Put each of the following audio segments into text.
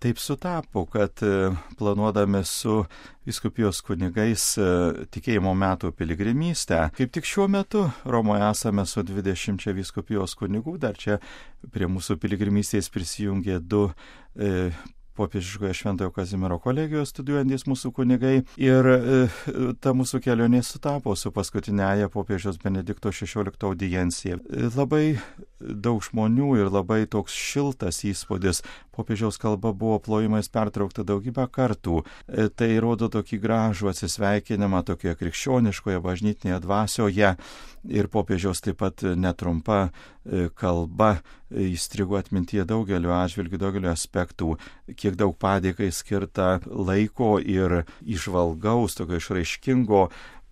Taip sutapo, kad planuodami su vyskupijos kunigais tikėjimo metų piligrimystę, kaip tik šiuo metu Romoje esame su 20 vyskupijos kunigų, dar čia prie mūsų piligrimystės prisijungė 2 popiežiškoje Šventojo Kazimiero kolegijos studijuojantys mūsų kunigai ir ta mūsų kelionė sutapo su paskutinėje popiežiaus Benedikto XVI audiencija. Labai daug žmonių ir labai toks šiltas įspūdis. Popiežiaus kalba buvo plojimais pertraukta daugybę kartų. Tai rodo tokį gražų atsisveikinimą tokioje krikščioniškoje bažnytinėje dvasioje ir popiežiaus taip pat netrumpa kalba įstrigo atmintyje daugeliu atžvilgių, daugeliu aspektų, kiek daug padėkai skirta laiko ir įžvalgaus, tokio išraiškingo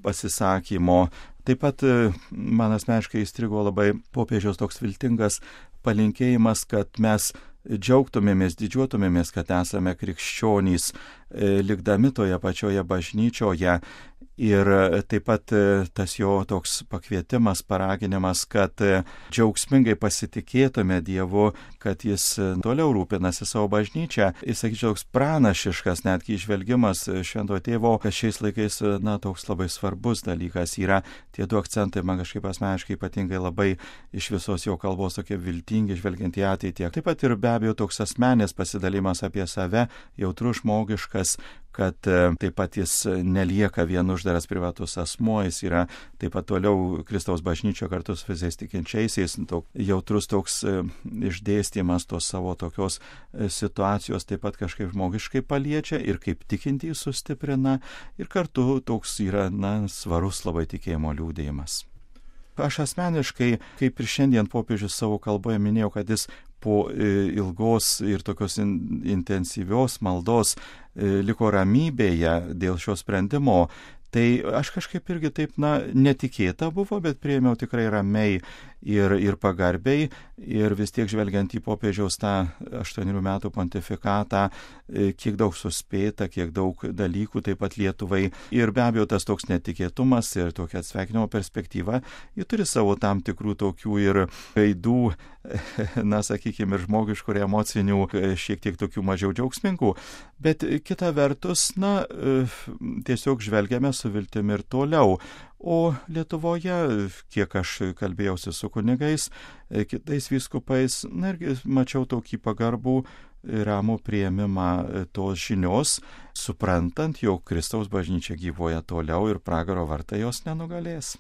pasisakymo. Taip pat man asmeniškai įstrigo labai popiežiaus toks viltingas palinkėjimas, kad mes džiaugtumėmės, didžiuotumėmės, kad esame krikščionys, likdami toje pačioje bažnyčioje. Ir taip pat tas jo toks pakvietimas, paraginimas, kad džiaugsmingai pasitikėtume Dievu, kad jis toliau rūpinasi savo bažnyčią. Jis, sakyčiau, toks pranašiškas netgi išvelgimas Šventojo Tėvo, kad šiais laikais, toks labai svarbus dalykas yra. Tie 2 akcentai man kažkaip asmeniškai ypatingai labai iš visos jo kalbos tokie viltingi, žvelgiant į ateitį. Taip pat ir be abejo toks asmenės pasidalimas apie save, jautrus, žmogiškas, kad taip pat jis nelieka vien uždaras privatus asmuo, jis yra taip pat toliau Kristaus bažnyčio kartu su visais tikinčiaisiais, jautrus toks išdėstymas tos savo tokios situacijos taip pat kažkaip žmogiškai paliečia ir kaip tikintį sustiprina ir kartu toks yra, svarus labai tikėjimo liūdėjimas. Aš asmeniškai, kaip ir šiandien popiežius savo kalboje minėjau, kad jis po ilgos ir tokios intensyvios maldos liko ramybėje dėl šio sprendimo. Tai aš kažkaip irgi taip, netikėta buvo, bet priėmiau tikrai ramiai ir pagarbiai ir vis tiek žvelgiant į popiežiaus tą 8 metų pontifikatą, kiek daug suspėta, kiek daug dalykų taip pat Lietuvai ir be abejo tas toks netikėtumas ir tokia atsveikinimo perspektyva, ji turi savo tam tikrų tokių ir gaidų, sakykime, ir žmogiškų ir emocinių, šiek tiek tokių mažiau džiaugsmingų, bet kita vertus, tiesiog žvelgiame su viltimi ir toliau. O Lietuvoje, kiek aš kalbėjausi su kunigais, kitais vyskupais, irgi mačiau tokį pagarbų ramų priėmimą tos žinios, suprantant, jog Kristaus bažnyčia gyvuoja toliau ir pragaro vartai jos nenugalės.